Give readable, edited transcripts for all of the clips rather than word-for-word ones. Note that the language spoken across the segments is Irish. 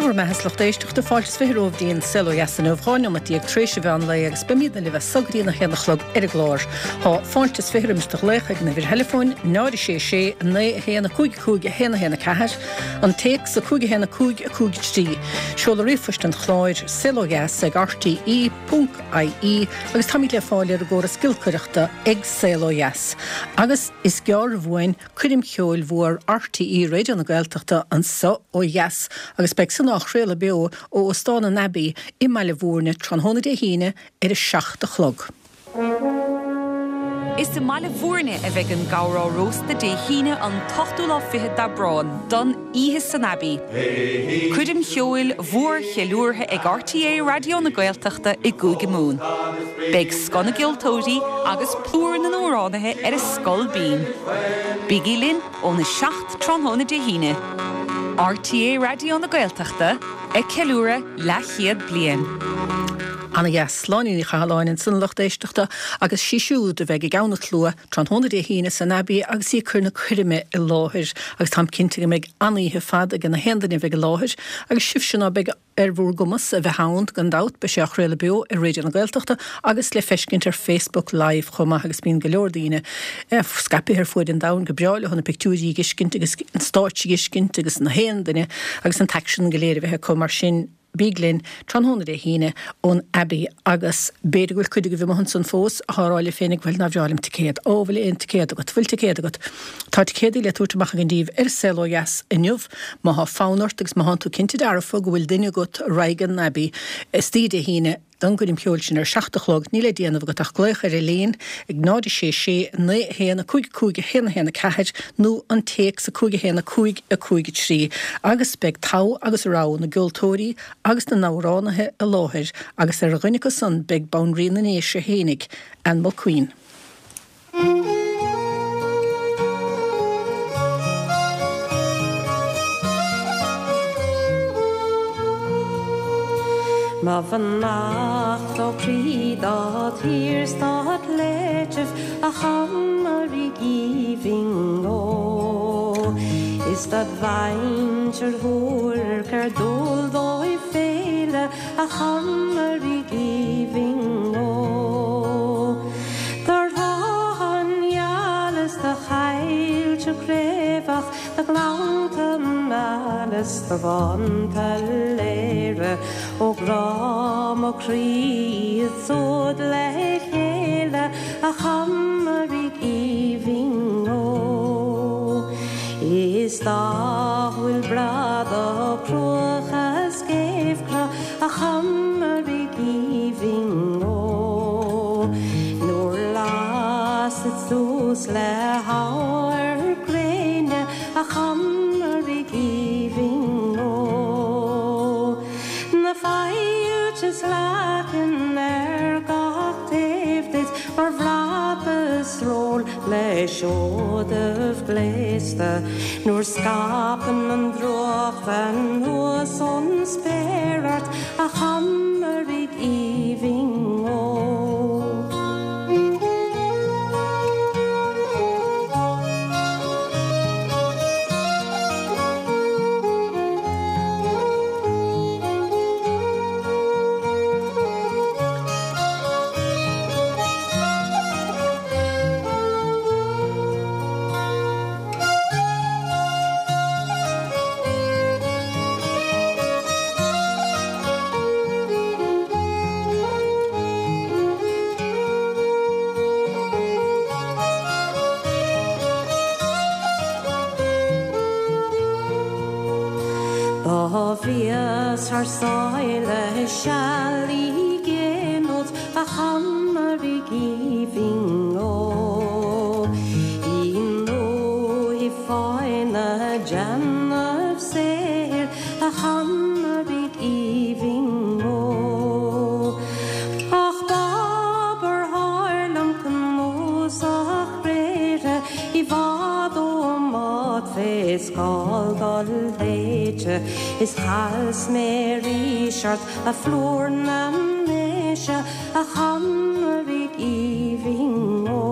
Dé bhur mbeatha a lucht éisteachta, fáilte is 20 romhaibh dtí an Saol Ó Dheas inniu, 12 neomat tar éis an mheán lae agus beimidne libh as so go dtí an 1 a chlog ar an gclár. Tá fáilte is 20 roimis do ghlaoch ag an uimhir theileafóin 0 6 6 9 1 5 5 1 1 4, an téacs 5 1 5 5 3, seoladh ríomhphoist an chláir, saolodheas ag rte ponc ie agus táimid le fáil ar an gcóras giolcaireachta ag Saol Ó Dheas. Agus is gearr uainn Coirm cheoil mhór RTÉ Raidió na Gaeltachta anso ó dheas agus beidh san á chraoladh beo ó Óstán an Abbey i mBaile Bhúirne tráthnóna Dé hAoine ar a 7 a chlog. Is i mBaile Bhúirne a bheidh an gabhar á róstadh Dé hAoine an t-ochtú lá fichead d'Aibreán don Oíche san Abbey, coirm cheoil mhór cheiliúrtha ag RTÉ Raidió na Gaeltachta i gCúige Mumhan. Beidh scoth na gceoltóirí agus plúr na n-amhránaithe ar a scol binn. Bígí linn óna 7 tráthnóna Dé hAoine. RTÉ Raidió na Gaeltachta ag ceiliúradh leathchéad bliain. Ana dheas. Sláine Ní Chathalláin ansan a lucht éisteachta agus sí siúd a bheidh i gceann an tslua tráthnóna Dé hAoine san Abbey agus í ag cur na coirme i láthair agus táim cinnte go mbeidh an-oíche fad ag na haon duine a bheidh i láthair agus sibhse ná beidh ar bhur gcumas a bheith ann, gan dabht, beidh sé á chraoladh beo ar Raidió na Gaeltachta agus le feiscint ar Facebook Live chomh maith agus bíonn go leor daoine scaipthe ar fuaid an domhain go breá leo na pictiúirí a dh'fheiscint agus an stáitse a dh'fheiscint agus na haon duine agus an t-aicsean go léir a bheith acu mar sin bíg linn tráthnóna Dé hAoine ón Abbey agus b'fhéidir go bhfuil cuid agaibh amuigh ansan fós athá ag rá libh féinig bhuel nár bhreá liom ticéad, ó bhfuil aon ticéad agat, bhfuil ticéad agat? Tá ticéadaí le tabhairt amach againn daoibh ar Saol Ó Dheas inniu. Má thá fonn ort agus má thánn tú cinnte dearfa go bhfuil duine agat a raghaidh an Abbey istoíche Dé hAoine don gcoirm cheoil sin ar a 7 a chlog, níl le déanamh agat ach glaoch ar Elaine ag 0 6 6 9 1 5 5 1 1 4 nó an téacs 5 1 5 5 3 agus beidh togha agus rogha na gceoltóirí agus na n-amhránaithe i láthair agus ar dhuine acu san beidh Banríon na nDéise fhéinig, Ann Mulqueen. Mo bheannacht ó chroí dod thír 's dod shléibhtibh a Chomaraigh aoibhinn ó. Is dod mhuintir mhór gur dual dóibh féile a Chomaraigh aoibhinn ó. Do thrátha geala 's do choillte craobhach, do ghleannta meala 's do bhánta léire, ó grá mo chroí iad súd le chéile, a Chomaraigh aoibhinn ó. Is dá bhfuil breá do chruacha 's géibhcruth, a Chomaraigh aoibhinn ó. Nuair lasad suas le hamharc gréine, a Chomaraigh aoibhinn ó. Na faillte 's leacain ar gach taobh duit mar bhrat is sról le seodaibh gléasta, nuair scaipeann an drúcht anuas ón spéir ort, a Chomaraigh aoibhinn ó. Do bhíos thar sáile seal i gcéin a Chomaraigh aoibhinn ó. I ndúthaigh fáin ag déanamh saothair a Chomaraigh aoibhinn ó. Ach b'abar thoir liom cnuasach gréithre i bhfad óm áit fé scáil dul léite is chas mé arís ort a phlúr na ndéise a Chomaraigh aoibhinn ó.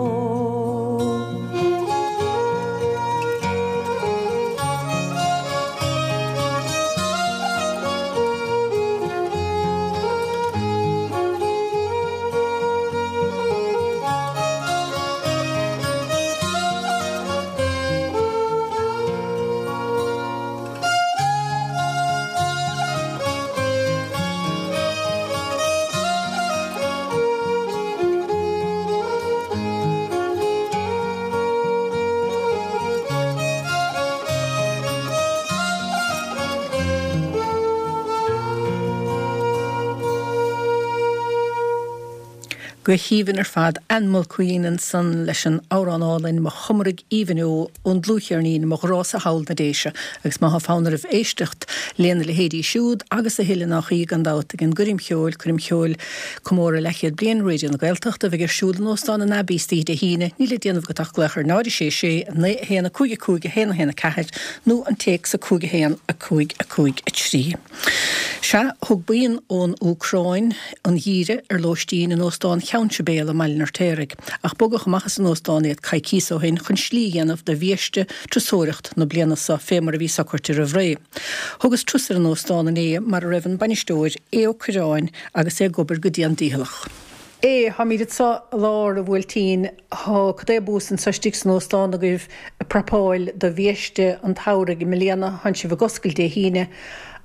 Go haoibhinn ar fad, Ann Mulqueen ansan leis an amhrán álainn Mo Chomaraigh Aoibhinn Ó ón dlúthcheirnín Mo Ghrá-sa Thall 'na Déise agus má thá fonn oraibh éisteacht lena leithéidí siúd agus a thuilleadh nách í gan dabht ag an gcoirm cheoil, Coirm Cheoil Comóradh Leathchéad Bliain Raidió na Gaeltachta a bheidh ar siúl in Óstán an Abbey istoíche Dé hAoine, níl le déanamh agat ach glaoch ar 0 6 6 9 1 5 5 1 1 4 nó an téacs 5 1 5 5 3. Sea, thug buíon ón Úcráin an geimhreadh ar lóistín in Óstán Cheann Sibéal i mBaile an Fheirtéaraigh, ach bogadh amach as an óstán iad coicíos ó shin chun slí a dhéanamh do bhiaiste turasóireacht na bliana seo fé mar a bhí socraite roimh ré. Thugas turas ar an óstán inné mar a raibh an bainisteoir, Aodh Ó Cuirreáin, agus é ag obair go dian dícheallach. Aodh, táimid anso i lár an bhuailtín. Tá cad é bús anso istigh san óstán agaibh ag prapáil do bhiaiste an tsamhraidh i mbliana. Tánn sibh ag oscailt Dé hAoine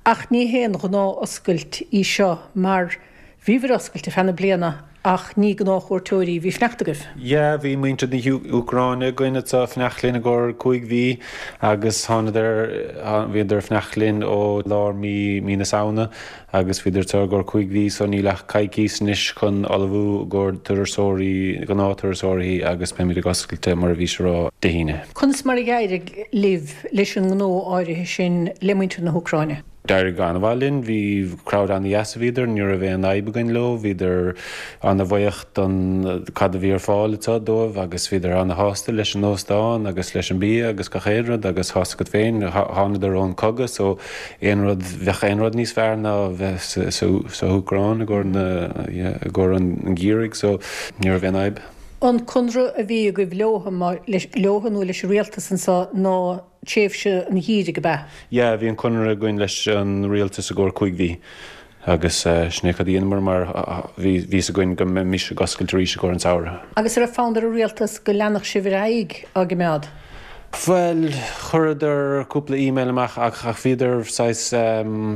ach ní haon ghnáth-oscailt í seo mar bhíobhair oscailte feadh na bliana ach ní gnáthchuairteoirí a bhí ag fanacht agaibh. Yeah, bhí muintir na hÚcráine againn anso ag fanacht linn i gcomhair 5 mhí agus thánadar, bhíodar ag fanacht linn ó lár mí, mí na Samhna Agus bhíodar anseo i gcomhair 5 mhí so níl ach coicís anois chun ullmhú i gcomhair turasóirí, gnáth-turasóirí agus beimid ag oscailt mar a bhís a rá Dé hAoine. Conas mar a d'éirigh libh leis an ngnó áirithe sin le muintir na hÚcráine? D'éirigh go an-mhaith linn. Bhí crowd an-dheas a bhíodar, ní raibh aon fhadhb againn leo, bhíodar an-bhuíoch don cad a bhí ar fáil anseo dóibh agus bhíodar ana-shásta leis an óstán agus leis an bia agus gach aon rud agus tá's agat féin, thánadar ón cogadh so aon rud, bheadh aon rud níos fearr ná bheith sa hÚcráin i gcomhair na, yeah, i gcomhair an gheimhridh so ní raibh aon fhadhb. An conradh a bhí agaibh leotha, leotha nó leis an rialtas anseo ná tréimhse an gheimhridh, ab ea? Yeah, bhí an conradh againn leis an rialtas i gcomhair 5 mhí agus sin é cad a dheineamar mar bhí fhios againn go mbeimis ag oscailt arís i gcomhair an samhradh. Agus an raibh fonn ar an rialtas go leanfadh sibh ar aghaidh á gcimeád? Bhuel, chuireadar cúpla email amach ach bhíodar saghas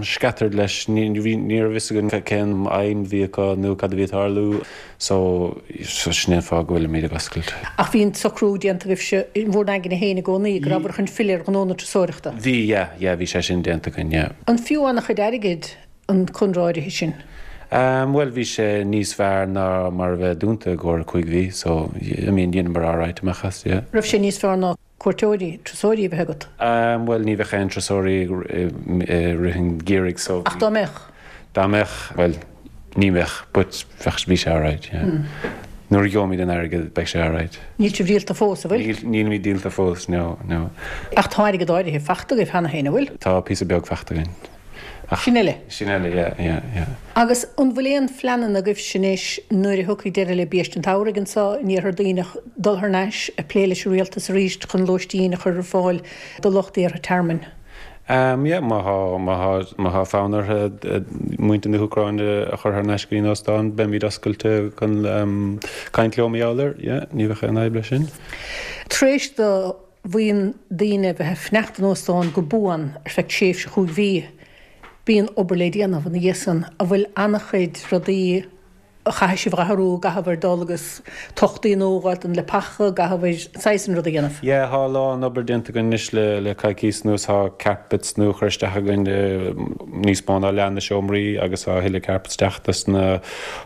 scattered leis, ní raibh fhios againn cén aidhm a bhí acu nó cad a bhí ag tarlú. So, sin é an fáth go bhfuilimid ag oscailt. Ach bhí an socrú déanta agaibhse in bhur n-aigne féin i gcónaí go rabhabhair chun filleadh ar ghnó na turasóireachta? Bhí, yeah, yeah, bhí sé sin déanta againn, yeah. An fiú an-chuid airgid an conradh áirithe sin? Ehm, bhuel, bhí sé níos fearr ná mar a bheith dúnta i gcomhair 5 mhí, so, I mean, dheineamar alright amach as, yeah. Raibh sé níos fearr ná cuairteoirí, turasóirí a bheith agat? Ehm, bhuel, ní bheadh aon turasóirí i rith an gheimhridh so. Ach dá mbeadh? Dá mbeadh, bhuel, ní bheadh, but bheadh, bhí sé alright, yeah. Nuair a gheobhaimid an airgead, beidh sé alright. Níl sibh díolta fós, an bhfuil? Níl, nílimid díolta fós, no, no. Ach tá airgead áirithe fachta agaibh cheana féin, an bhfuil? Tá píosa beag fachta againn. Ach. Sin uile? Sin uile, yeah, yeah, yeah. Agus an bhfuil aon phleananna agaibhse anois nuair a thiocfaidh deireadh le Biaiste an tSamhraidh anseo in Iarthar Duibhneach dul thar n-ais ag plé leis an rialtas arís chun lóistín a chur ar fáil do lucht iarrtha tearmainn? Um yeah, má thá, má thá, má thá fonn orthu muintir na hÚcráine a chur thar n-ais go dtí an óstán, beimid oscailte chun um caint leo mar gheall air, yeah, ní bheadh aon fhadhb leis sin. Tar éis do bhuíon daoine a bheith ag fanacht in óstán go buan ar feadh tréimhse chúig mhí, bíonn obair le déanamh ina dhiaidh san, an bhfuil an-chuid rudaí a chaithfidh sibh a athrú, an gcaithfidh dul agus tochtaí nua a fháil don leapacha, an gcaithfidh saghas an rud a dhéanamh. Yeah, thá a lán obair déanta againn anois le le coicíos anuas, thá carpets nua curtha isteach againn i níos mó ná leath na seomraí agus thá a thuilleadh carpets ag teacht dos na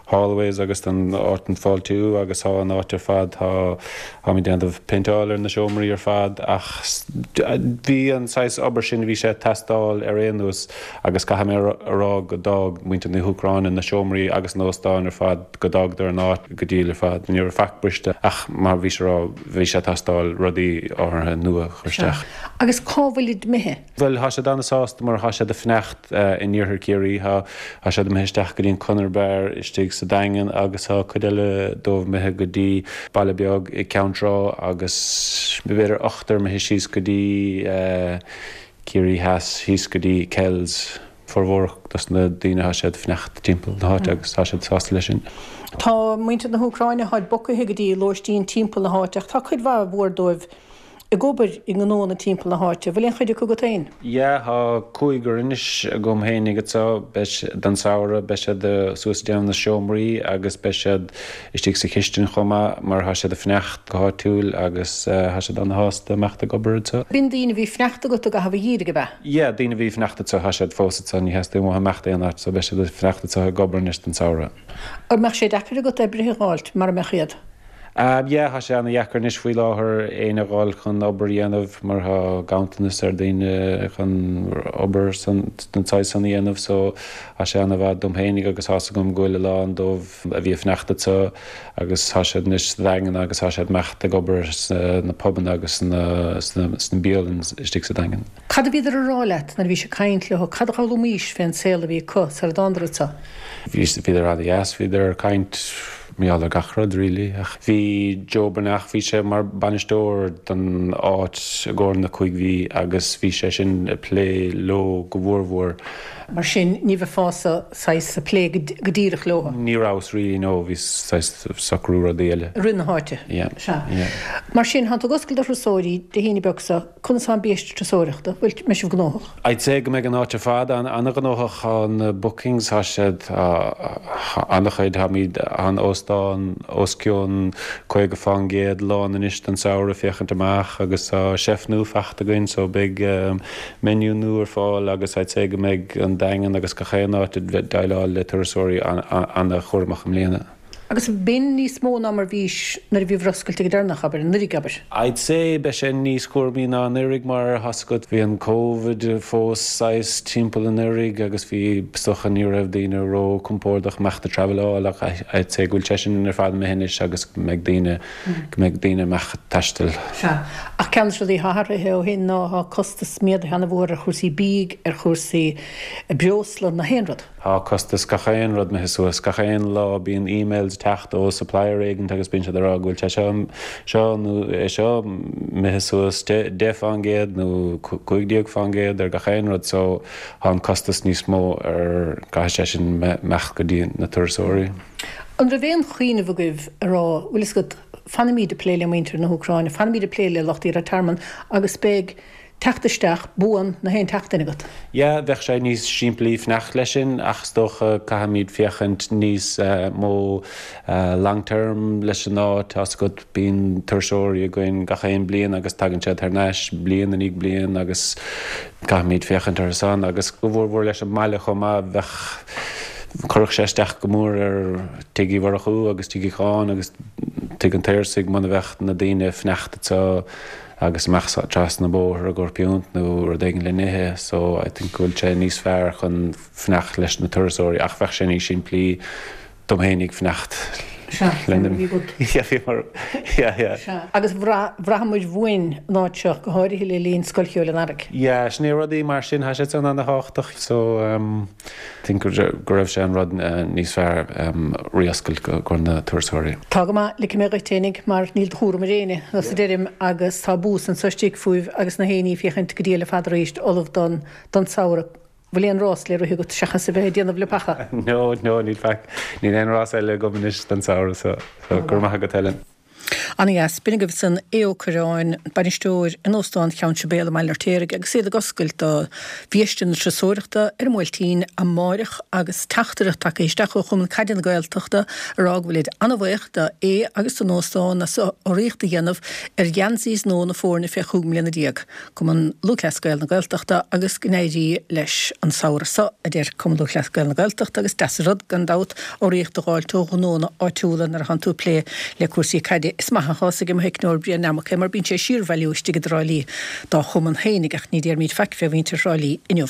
hallways agus don áit an fáiltiú agus thá an áit ar fad, thá Táimid ag déanamh péinteáil ar na seomraí ar fad ach bhí an saghas obair sin, bhí sé ag teastáil ar aon nós agus caithfidh mé a rá go d'fhág muintir na hÚcráine na seomraí agus an óstán ar fad, go d'fhágadar an áit go diail ar fad. Ní raibh faic briste ach mar bhís a rá, bhí sé ag teastáil rudaí áirithe nua a chur isteach. Agus cá bhfuilid imithe? Bhuel, thá siad ana-sásta mar thá siad ag fanacht in iarthar Chiarraí. Thá, thá siad imithe isteach go dtí an Conair Bar istigh sa Daingean agus thá cuid eile dóibh imithe go dtí baile beag i Ceann Trá agus b'fhéidir ochtar imithe síos go dtí Ciarraí Theas, thíos go dtí Kells. Formhór dos na daoine thá siad ag fanacht timpeall na háite agus tá siad sásta leis sin. Tá muintir na hÚcráine, tháid bogtha go dtí lóistín timpeall na háite ach tá cuid mhaith mhór dóibh. Ag obair i ngnóanna timpeall na háite, bhfuil aon chuid acu agat féin? Yeah, tá cúigear anois agam fhéinig anseo, beidh siad, don samhradh, beidh siad suas ag déanamh na seomraí agus beidh siad istigh sa chistin chomh maith mar tá siad ag fanacht go háitiúil agus tá siad ana-shásta imeacht ag obair anseo. B'in daoine a bhí ag fanacht agat i gcaitheamh an gheimhridh, ab ea? Yeah, daoine a bhí ag fanacht anseo, tá siad fós anseo, ní theastaíonn uathu imeacht aon áit so beidh siad ag fanacht anseo ag obair anois don samhradh. An mbeadh sé deacair agat oibrithe a dh'fháilt mara mbeadh iad? Yeah, tá sé ana-dheacair anois faoi láthair éinne a dh'fháil chun obair a dhéanamh mar tá ganntanas ar daoine chun obair den tsaghas san a dhéanamh so tá sé ana-mhaith dom fhéinig agus tá's agam go bhfuil a lán dóibh a bhí ag fanacht anseo agus tá siad anois sa Daingean agus tá siad ag imeacht ag obair sna pubanna agus sna bialann istigh sa Daingean. Cad a bhíodar a rá leat nuair a bhís ag caint leo? Cad a d'fhoghlaimís fén saol a bhí acu sar a dtánadar anso? Bhí, bhíodar ana-dheas, bhíodar ag caint mar gheall ar gach rud really. Ach bhí Joe Breathnach, bhí sé mar bainisteoir don áit i gcomhair na cúig mhí agus bhí sé sin ag plé leo go mhórmhór. Mar sin ní bheifeása saghas ag plé go díreach leo? Ní rabhas really no, bhí saghas socrú rudaí eile. I rith na háite? Yeah, Sea. yeah. Mar sin, thánn tú ag oscailt do thurasóirí Dé hAoine beag so. Conas tá an biaiste turasóireachta? Bhfuil, mbeidh sibh gnóthach? I'd say go mbeidh an áit ar fad an-ghnóthach. Tá na bookings, tá siad, an-chuid, táimid, tá an óstán os cionn 50% lán anois don samhradh féachaint amach agus tá chef nua fachta againn so beidh menu nua ar fáil agus I'd say go mbeidh an Daingean agus gach aon áit ag déileáil le turasóirí an-chúramach i mbliana. Agus b'in níos mó ná mar bhís nuair a bhíobhair oscailte go deireanach, abair, anuraidh, abair. I'd say beidh sé níos cúramaí ná anuraidh mar tá's agat bhí an Covid fós saghas timpeall anuraidh agus bhí is dócha ní raibh daoine ró compordach imeacht ag traveláil ach I'd say go bhfuil sé sin ar fad imithe anois agus go mbeidh daoine go mbeidh daoine amach ag taisteal. Sea. Ach ceann de na rudaí atá athraithe ó shin ná tá costas méadaithe ana-mhór ar chúrsaí bídh, ar chúrsaí breosla, na haon rud. Tá costas gach aon rud imithe suas. Gach aon lá bíonn emails ag teacht ó supplier éigint agus bíonn siad ag rá go bhfuil sé seo, seo nó é seo imithe suas 10% nó 15% ar gach aon rud so tá an costas níos mó ar, caithfidh sé sin imeacht go dtí na turasóirí. An raibh aon chuimhneamh agaibh a rá, bhfuil fhios agat, fanfaimíd ag plé le muintir na hÚcráine, fanfaimíd ag plé le lucht iarraidh tearmann agus beidh teacht isteach buan na haon tseachtain agat. Yeah, bheadh sé níos simplí fanacht leis sin ach is dócha caithfimid féachaint níos mó long term leis an áit, tá's agat bíonn turasóirí againn gach aon bliain agus tagann siad thar n-ais bliain i ndiaidh bliain agus caithfimid féachaint orthu san agus go mhórmhór leis an mbaile chomh maith bheadh chuirfeadh sé isteach go mór ar Tigh Uí Mhurchú agus Tigh Uí Cháin agus Tigh an tSaorsaigh muna bheadh na daoine ag fanacht anseo agus amach trasna an bóthar i gcomhair piúnt nó rud éigin le n-ithe so I think go bhfuil sé níos fearr chun fanacht leis na turasóirí ach bheadh sé níos simplí dom fhéinig fanacht Sea, le mar a bhí agat. Yeah, bhí mar, yeah, yeah. Sea, agus bhraitheamair uainn an áit seo, go háirithe le linn Scoil Cheoil an Earraigh. Yeah, sin é rudaí mar sin, tá sé san ana-thábhachtach so um, think go raibh sé an rud níos fearr re-oscailt i gcomhair na turasóirí. Tá go maith, ligfidh mé dhuit fhéinig mar níl de chúram ar éinne, nós a deirim, agus tá bús anso istigh fúibh agus na héinní féachaint go diail ar fad arís ullamh don don samhradh. Bhfuil aon rás le rith agat seachas a bheith ag déanamh leapacha? No, no, níl faic. Níl aon rás eile agam anois don samhradh so go raibh maith agat Helen. Ana-dheas. B'in agaibh san Aodh Ó Cuirreáin, bainisteoir in Óstán Cheann Sibéal i mBaile an Fheirtéaraigh agus iad ag oscailt do bhiaiste na turasóireachta ar an mBuailtín amáireach agus teachtaireacht tagtha isteach ó Chumann Caide na Gaeltachta a rá go bhfuilid ana-bhaoch do Aodh agus don óstán as urraíocht a dhéanamh ar gheansaí nua na foirne fé chúig mbliana déag. Cumann Lúthchleas Gael na Gaeltachta agus go n-éirí leis an samhradh seo, a deir Cumann Lúthchleas Gael na Gaeltachta agus deas an rud, gan dabht, urraíocht a dh'fháilt ó ghnónna áitiúla nuair atánn tú ag plé le cúrsaí caide. Is maith atá 'fhios ag mo theicneoir Brian Nammock é mar bíonn sé ag síorbhailiú istigh i dTrá Lí dá chumann fhéinig ach ní déarfaimid faic fé mhuintir Thrá Lí inniu.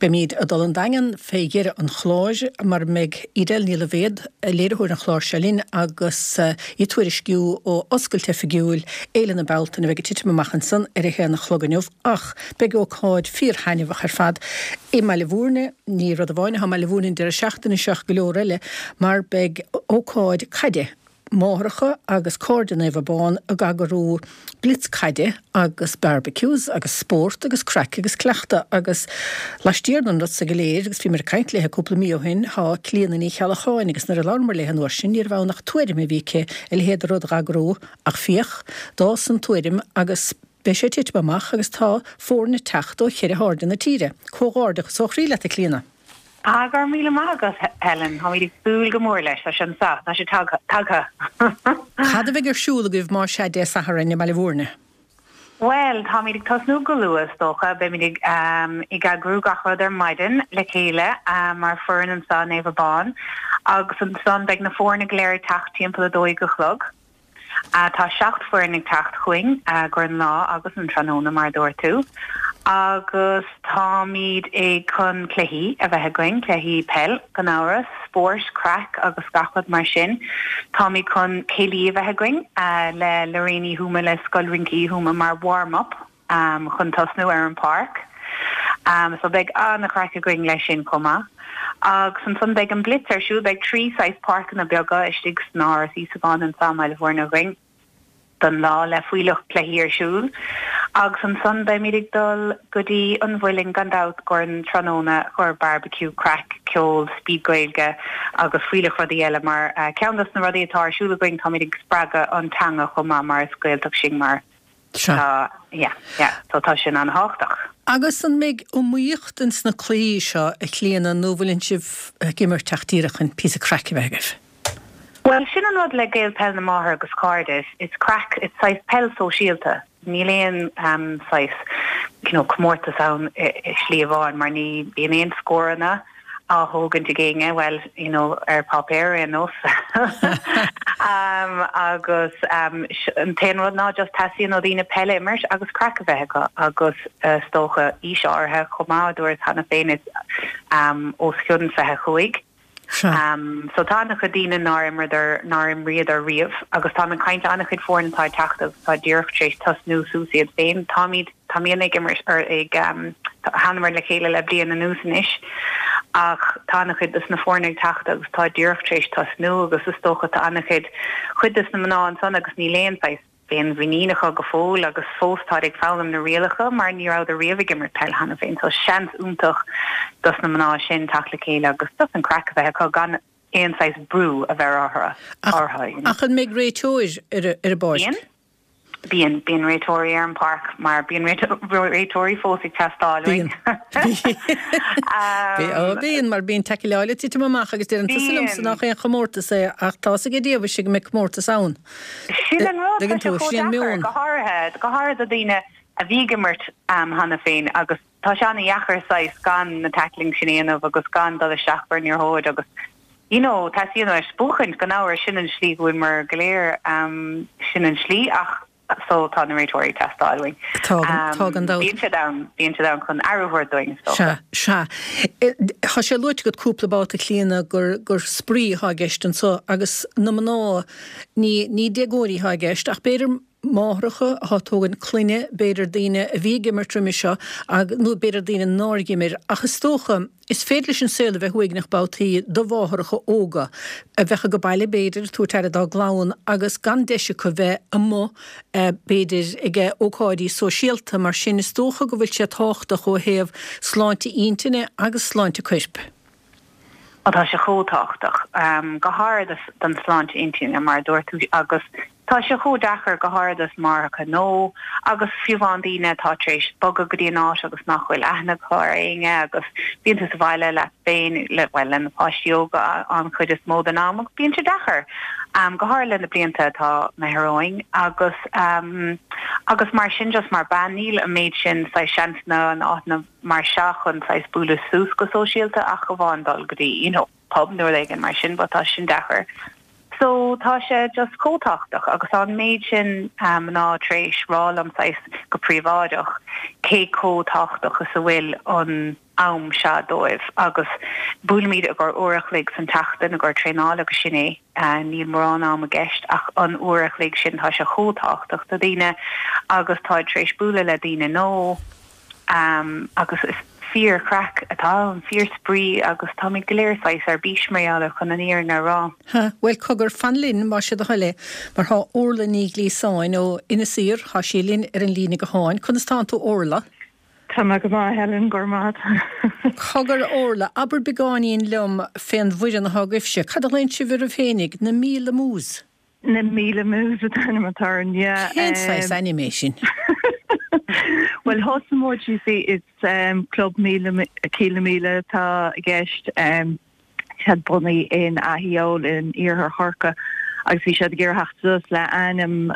Beimid ag dul an Daingean fé dheireadh an chláir mar a mbeidh Edel Ní Loibhéad, léiritheoir an chláir seo linn agus í ag tuairisciú ó oscailt oifigiúil Fhéile na Bealtaine a bheidh ag titim amach ansan ar a haon a chlog inniu ach beidh ócáid fíor-thaitneamhach ar fad i mBaile Bhúirne, ní rud amháin atá i mBaile Bhúirne an deireadh seachtaine seo ach go leor eile mar beidh ócáid caide Máithreacha agus Cairde Naomh Abán ag eagrú blitz caide agus barbecues agus spórt agus craic agus cleachtadh agus laistiar den rud so go léir agus bhíomar ag caint léithe cúpla mí ó shin thá Clíona Ní Cheallacháin agus nuair a labhramar léithe an uair sin níorbh ann ach tuairim a bhí aici a leithéid de rud dh'eagrú ach féach, d'fhás an tuairim agus. Beidh sé ag titim amach agus tá foirne ag teacht ó cheithre hairde na tíre. Comhghairdeachas ó chroí leat, a Chlíona. Ah, go raibh míle maith agat, Helen. Táimid ag súil go mór leis. Tá sé anseo. Tá sé tagtha. Cad a bheidh ar siúl agaibh más ea Dé Sathairn i mBaile Bhúirne? Bhuel, táimid ag tosnú go luath, is dócha. Beimid ag ag eagrú gach rud ar maidin le chéile mar foireann anseo i Naomh Abán agus ansan beidh na foirne go léir ag teacht timpeall 12 a chlog. Tá 7 foireann ag teacht chugainn gur an lá agus an tráthnóna mar a dúirt tú agus táimid ag chun cluichí a bheith againn, cluichí peil gan amhras, spóirt, craic agus gach rud mar sin. Táimid chun céilí a bheith againn le Lorraine Uí Thuama le Scoil Rince Uí Thuama mar warm up chun tosnú ar an páirc. So beidh an-chraic againn leis sin chomh maith. Agus ansan beidh an blitz ar siúl, beidh 3 saghas páirceanna beaga istigh san Áras Íosagáin anso i mBaile Bhuirne againn don lá le fuílleach cluichí ar siúl. Agus ansan beimid ag dul go dtí an Mhuileann gan dabht gur an tráthnóna chomhair barbecue, craic, ceol, speed Gaeilge agus fuílleach rudaí eile mar ceann dos na rudaí atá ar siúl againn táimid ag spreagadh an teanga chomh maith mar is Gaeltacht sinn mar Sea. Tá, yeah, yeah, so tá sin an-thábhachtach. Agus an mbeidh iomaíocht ins na cluichí seo, a Chlíona, nó bhfuileann sibh ag imirt ach díreach chun píosa craic a bheith agaibh? Bhuel, sin an rud le Gael Peil na Máthar agus Cairde, is craic, it's saghas peil sóisialta. Níl aon saghas, you know, comórtas ann i slí amháin mar ní bhíonn aon scóranna á thógaint ag éinne, bhuel, you know, ar páipéar ar aon nós. Agus an t-aon rud ná just teastaíonn ó dhaoine peil a imirt agus craic a bheith acu agus is dócha aois áirithe chomh maith, a dúras cheana féin, is os cionn 25. So tá an-chuid daoine nár imreadar, nár imríodar riamh agus táim ag caint le an-chuid foirne atá ag teacht agus atá díreach tar éis tosnú suas iad féin. Táimid, táimidne ag imirt, or ag, thánamar le chéile le bliain anuas anois ach tá an-chuid dos na foirne ag teacht agus atá díreach tar éis tosnú agus is dócha tá an-chuid, chuid dos na mná ansan agus níl aon saghas, féinmhuinín acu go fóill agus fós táid ag foghlaim na rialacha mar ní rabhadar riamh ag imirt peil cheana féin so seans iontach dos na mná sin teacht le chéile agus just an craic a bheith acu gan aon saghas brú a bheith orthu you know. Ach an mbeidh réiteoir ar an bpáirc? Bíonn. Bíonn. Bíonn réiteoirí ar an bpáirc mar bíonn réiteoirí fós ag teastáil uainn. Bíonn. Bíonn mar bíonn taicleáil ag titim amach agus deireann tusa liomsa nach aon chomórtas é ach tá's ag Dia mhuise go mbeidh comórtas ann. Sin an rud, tá sé chomh deacair, go háirithe, go háirithe do daoine a bhí ag imirt cheana féin agus tá sé an-dheacair saghas gan na tackling sin a dhéanamh agus gan dul isteach ar an liathróid agus you know, teastaíonn uait buachaint gan amhras, sin an slí go bhfuil muid go léir, sin an slí ach so tá na réiteoirí ag teastáil uainn. Tá, tá gan dabht. Bíonn siad ann, bíonn siad ann chun aire a thabhairt dúinn, is dócha. Sea, sea. Tá sé luaite agat cúpla babhta, Clíona, gur, gur spraoi atá i gceist anso agus na mná, ní, ní déagóirí atá i gceist ach b'fhéidir máithreacha atá ag tógaint clainne, b'fhéidir daoine a bhí ag imirt roimhe seo ag, nó b'fhéidir daoine nár dh'imir ach is dócha, Is féidir leis an saol a bheith uaigneach babhtaí do mháithreacha óga, a bheadh age baile b'fhéidir, ag tabhairt aire dá gclann agus gan deis acu bheith amuigh b'fhéidir ag ócáidí sóisialta, mar sin is dócha go bhfuil sé tábhachtach ó thaobh sláinte intinne agus sláinte coirp. Ó tá sé chomh tábhachtach, go háirithe don sláinte intinne mar a dúirt tú agus Tá sé chomh deacair, go háirithe dos máithreacha nó agus fiú amháin daoine atá tar éis bogadh go dtí an áit agus nach bhfuil aithne acu ar éinne agus bíonn tú sa bhaile leat féin, le, bhuel, le na páistí óga an chuid is mó den am agus bíonn sé deacair, go háirithe le na blianta atá imithe romhainn agus agus mar sin just mar bean níl an méid sin saghas seansanna in áiteanna mar seo chun saghas bualadh suas go sóisialta ach amháin dul go dtí, you know. pub nó rud éigin mar sin but tá sin deacair. So tá sé just chomh tábhachtach agus tá an méid sin mná tar éis rá liom saghas go príobháideach cé chomh tábhachtach is a bhfuil an am seo dóibh agus buailimid i gcomhair uair a chloig san tseachtain i gcomhair traenáil agus sin é. Níl mórán am i gceist ach an uair a chloig sin tá sé chomh tábhachtach do daoine agus táid tar éis bualadh le daoine nó Agus is fíor-chraic atá ann, fíor-spraoi agus táimid go léir saghas ar bís mar gheall air chun an fhírinne a rá. Ha, bhuel cogar, fan linn más é do thoil é, mar thá Orla Ní Ghliasáin ó Inis Oírr, thá sí linn ar an líne gutháin. Conas tánn tú Orla? Tá mé go maith Helen, go raibh maith agat. Cogar Orla, abair beagáinín liom fén bhfoireann athá agaibhse. Cad a ghlaonn sibh oraibh féinig? Na Míle Mús? Na Míle Mús an t-ainm atá orainn, yeah. Cén saghas ainm é sin? Bhuel thosaigh muid, you see, is club míle, Cill na Míle atá i gceist. Siad bunaithe in Ath Eoil in iarthar Chorcaí agus bhí siad ag iarraidh theacht suas le ainm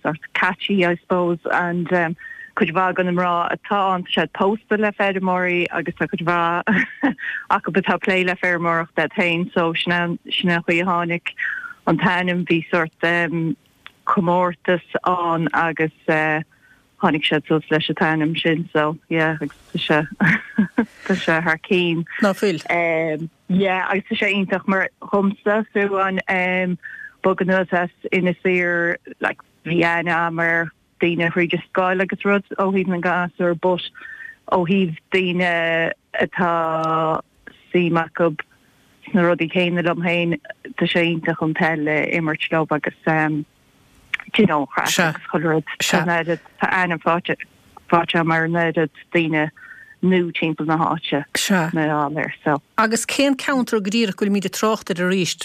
sort catchy I suppose and cuid mhaith de na mná atá ann tá siad pósta le feirmeoirí agus tá cuid mhaith acu atá ag plé le feirmeoireacht iad féin so sin an sin an chaoi a tháinig an t-ainm bhí sort comórtas ann agus tháinig siad suas leis an t-ainm sin so yeah agus tá sé tá sé thar cinn. Ná fuil? Yeah agus tá sé iontach mar dhomsa fiú an bogadh anuas as Inis Oírr like bhí aithne agam ar daoine thríd an scoil agus rud ó thaobh na ngasúr but ó thaobh daoine atá suim acu sna rudaí céanna liom féin tá sé iontach an peil a imirt leo agus do you know, craic agus chuile rud. Tá an oiread, tá aithne faighte agam ar an oiread daoine nua timpeall na háite mar gheall air, so. Agus cén ceantar go díreach go bhfuilimid ag trácht air arís,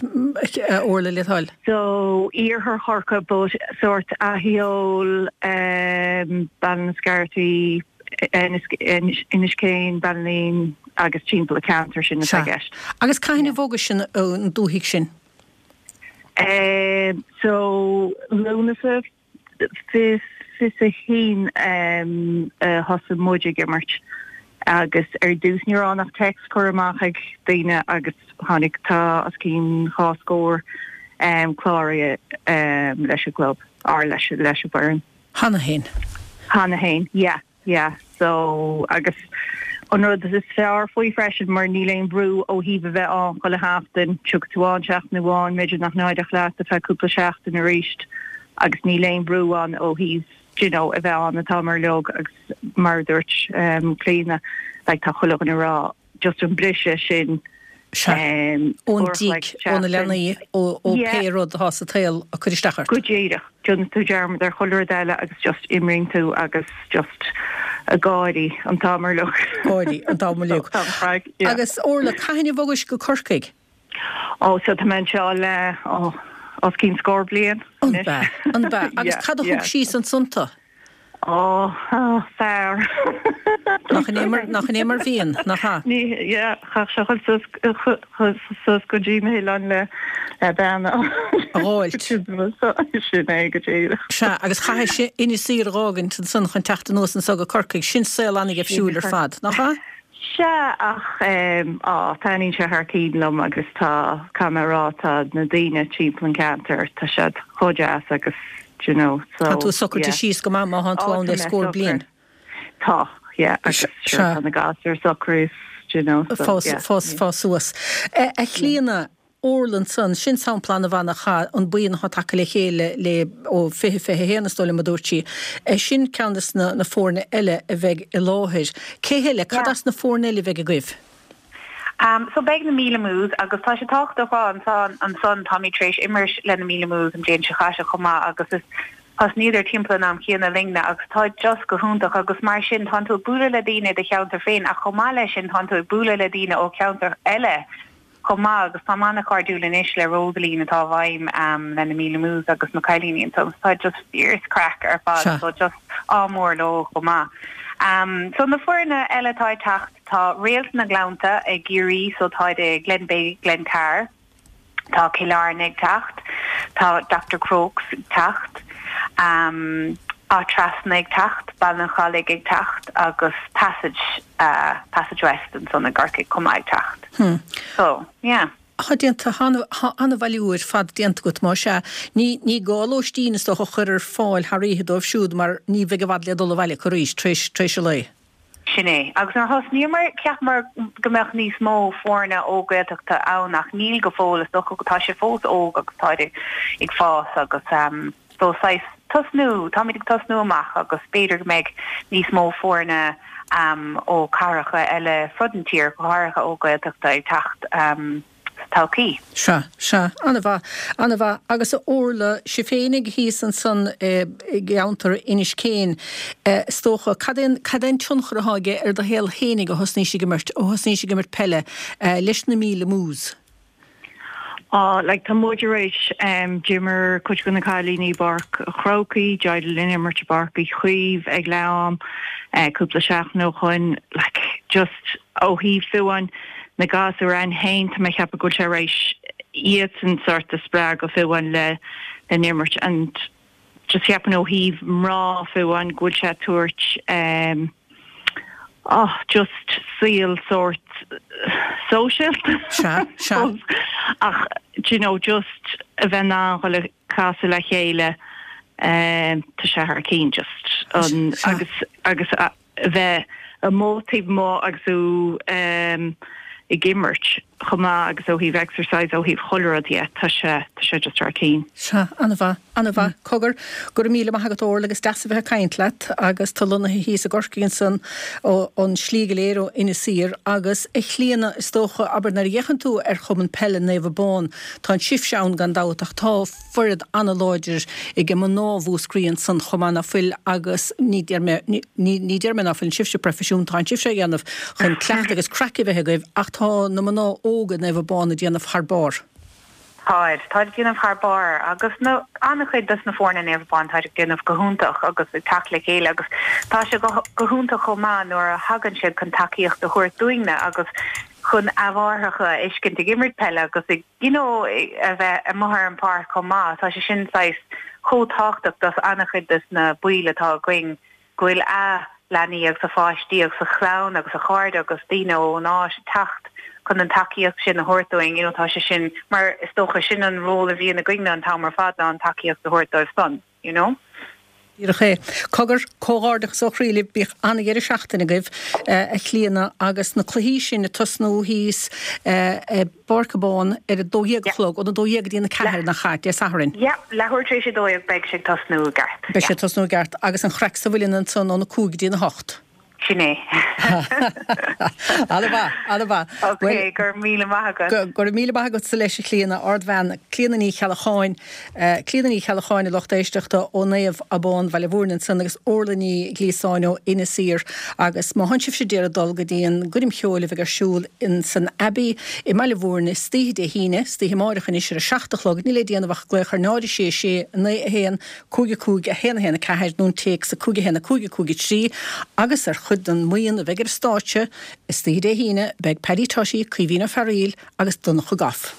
a Orla, le do thoil? So, iarthar Chorcaí but sórt Ath Eoil, Ballinascarthy, Inis Céin, Ballineen agus timpeall an ceantar sin atá i gceist. Agus cathain a bhogais an dúthaigh sin? So, Lúnasa 21 a thosaigh muid ag imirt agus ar dtús ní raibh ann ach text curtha amach ag daoine agus tháinig, tá os cionn dhá scór cláraithe leis an gclub, or leis an bhfoireann. Cheana féin? Cheana féin, yeah. Yeah, so, agus an rud is fearr faoi freisin mar níl aon bhrú ó thaobh a bheith ann chuile sheachtain, tiocfaidh tú ann seachtain amháin, b'fhéidir nach n-éireodh leat ar feadh cúpla seachtain arís agus níl aon bhrú ann ó thaobh do you know a bheith ann an t-am uilig agus mar a dúirt Clíona, like tá chuile dhuine ag rá just an briseadh sin Sea. Ón dtigh, ó na leanaí, ó pé rud atá sa tsaol ag cur isteach ort. Go díreach. Déanann tú dearmad ar chuile rud eile agus just imríonn tú agus just ag gáirí an t-am uilig. Gáirí an t-am uilig. Agus Orla, cathain a bhogais go Corcaigh? Ó, so tá mé anseo le, ó, os cionn scór bliain anois. An b'ea? An b'ea? Agus cad a thug síos ansan tú? Ó, fear. Nach in é mar, nach in é mar bhíonn, nach ea? Ní, yeah, chaithfeadh sé dhul suas, suas go dtí na hoileáin le, le bean a. A dh'fháilt. Sin é go díreach. Sea, agus chaithfeadh sé Inis Oírr a dh'fhágaint ansan chun teacht anuas anso go Corcaigh. Sin saol an-gheimhsiúil ar fad, nach ea? Sea, ach á, taitníonn sé thar cinn liom agus tá, caithfidh mé a rá, tá na daoine timpeall an ceantar, tá siad chomh deas agus, do you know, so, yeah. Tá tú socraithe síos go maith má thánn tú ann le scór bliain. Tá, yeah, agus sure, tá na gasúir socraithe, do you know, so, yeah. Fás, fás suas. A Chlíona, Orla ansan, sin sampla an-mhaith nach ea, an buíon atá tagtha le chéile le, ó 2021 is dóigh liom a dúirt sí. Sin ceann de na foirne eile a bheidh i láthair. Cé heile, cad as na foirne eile a bheidh agaibh? So beidh na Míle Mús agus tá sé tábhachtach a rá ansan, ansan táimid tar éis imirt le na Míle Mús an bhliain seo chaite chomh maith agus is thosnaíodar timpeall an am chéanna linne agus tá just go hiontach agus mar sin tánn tú ag bualadh le daoine i do cheantar féin ach chomh maith leis sin tánn tú ag bualadh le daoine ó cheantar eile chomh maith agus táim an-chairdiúil anois le Rosaleen atá i bhfeidhm le na Míle Mús agus na cailíní ansan so tá just fíor craic ar fad so just ádh mór leo chomh maith. So na foirne eile atá ag teacht tá Réalt na nGleannta i gCiarraí so táid i Glenbeigh Glencar, tá Cill Airne ag teacht, tá Dr Crokes ag teacht, Áth Trasna ag teacht, Baile an Chalaigh ag teacht agus Passage Passage West ansan i gCorcaigh chomh maith ag teacht. So, yeah. Tá déanta, tá an-bhailiú ar fad déanta agat, más ea. Ní, ní gá lóistín is dócha a chur ar fáil thar oíche dóibh siúd mar ní bheidh i bhfad le dul abhaile acu arís tar éis, tar éis an lae. Sin é. Agus nuair a thosnaíomar, cheapamar go mbeadh níos mó foirne ó Gaeltachta ann ach níl go fóill, is dócha go tá sé fós óg agus táid ag fás agus so saghas tosnú, táimid ag tosnú amach agus b'fhéidir go mbeidh níos mó foirne ó cathracha eile fud an tír, go háirithe ó Gaeltachta ag teacht sa todhchaí. Sea, sea, an-mhaith, an-mhaith. Agus a Orla, sibh féinig thíos ansan i gceantar Inis Céin, is dócha, cad é an, cad é an tionchar atá aige ar do shaol fhéinig ó thosnaís ag imirt, ó thosnaís ag imirt peile leis na Míle Mús? Á, like, tá muid tar éis, d'imir cuid de na cailíní i bPáirc an Chrócaigh, d'éirigh linn imirt i bPáirc Uí Chaoimh ag leath am, cúpla seachtain ó shoin, like, just ó thaobh fiú amháin na gasúir againn féin, tá mé ag ceapadh go bhfuil sé tar éis iadsan sort a spreagadh fiú amháin le n-imirt and just cheapfainn ó thaobh mná fiú amháin go bhfuil sé ag tabhairt eh oh just saol sórt sóisialta Sea, sea. ach do you know just a bheith in ann dhul ag casadh le chéile eh tá sé thar cinn just an Sea. agus agus a bheith amuigh taobh amuigh agus thú ag imirt chomh maith agus ó thaobh exercise, ó thaobh chuile rud dhe, tá sé, tá sé just thar cinn. Sea, an-mhaith, an-mhaith. Cogar, go raibh míle maith agat Orla agus deas a bheith ag caint leat agus tú lonnaithe thíos i gCorcaigh ansan ó, an slí go léir ó Inis Oírr agus a Chlíona is dócha, abair nuair a fhéachann tú ar Chumann Peile Naomh Abán, tá an sibhse ann gan dabht ach tá, foireann an-láidir ag mná Mhúscraí ansan chomh maith ná fuil agus ní deir mé, ní deir mé ná fuileann sibhse proifisiúnta, tánn sibhse á dhéanamh chun cleachtadh agus craic a bheith agaibh ach tá na mná óga Naomh Abán ag déanamh thar barr. Táid, táid ag déanamh thar barr agus na, an-chuid dos na foirne Naomh Abán táid ag déanamh go hiontach agus ag teacht le chéile agus tá sé go, go hiontach chomh maith nuair a thagann siad chun tacaíocht a thabhairt dúinne agus chun a mháithreacha a fheiscint ag imirt peile agus ag you know, a bheith amuigh ar an pháirc chomh maith. Tá sé sin saghas chomh tábhachtach dos an-chuid dos na baill atá againn go bhfuil a leanaí agus a pháistí agus a chlann agus a chairde agus daoine ón áit ag teacht chun an tacaíocht sin a thabhairt dúinn. You know, tá sé sin, mar is dócha sin an ról a bhíonn againne an t-am ar fad ná an tacaíocht a thabhairt dóibh san. You know? Díreach é. Cogar, comhghairdeachas ó chroí libh, bíodh an-dheireadh seachtaine agaibh, a Chlíona, agus na cluichí sin ag tosnú thíos i bPáirc Abán ar a 12 a chlog, óna 12 go dtí an 4, nach ea, Dé Sathairn? Yeah, leathuair tar éis a 12 beidh sé ag tosnú i gceart. Beidh sé ag tosnú i gceart, agus an chraic sa mhuileann ansan óna 5 go dtí an 8. Sin é. An-mhaith, an-mhaith. Ok, go raibh míle maith agat. Go raibh míle maith agatsa leis, a Chlíona, ardbhean, Clíona Ní Cheallacháin, Clíona Ní Cheallacháin, a lucht éisteachta ó Naomh Abán, Bhaile Mhúirne ansan agus Orla Ní Ghliasáin ó Inis Oírr. Agus má thánn sibhse d'iarraidh dul go dtí an gcoirm cheoil a bheidh ar siúl in san Abbey i mBaile Mhúirne istoíche Dé hAoine, istoíche amáireach anois ar a 7 a chlog, níl le déanamh ach glaoch ar 0 6 6 9 1 5 5 1 1 4 nó an téacs 5 1 5 5 3 agus ar chuid den mbuíon a bheidh ar an stáitse istoíche Dé hAoine beidh Paddy Tutty, Caoimhín Ó Fearaíl agus Donncha Goff.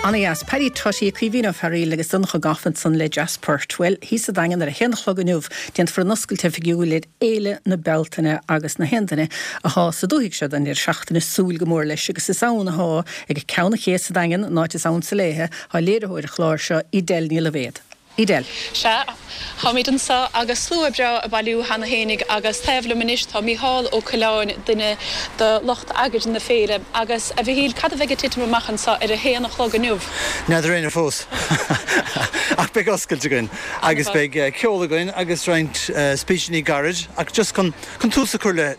Ana-dheas. Paddy Tutty, Caoimhín Ó Fearaíl agus Donncha Goff ansan le Jazz Port. Bhuel, thíos sa Daingean ar a haon a chlog inniu, déanfar an oscailt oifigiúil ar Fhéile na Bealtaine agus na haon duine athá sa dúthaigh seo don deireadh seachtaine súil go mór leis agus is ann athá ag Ceann an Ché sa Daingean, an áit is ansa léithe, thá léiritheoir an chláir seo, Edel Ní Loibhéad. Edel. Sea, táimid anseo agus slua breá ag bailiú cheana fhéinig agus taobh liom anois tá Mícheál Ó Coileáin, duine de lucht eagraithe na féile. Agus, a Mhichíl, cad a bheidh ag titim amach anseo ar a haon a chlog inniu? N'fheadar éinne fós. Ach beidh oscailt againn agus beidh ceol againn agus roinnt spíseanna gairid ach just chun tús a chur le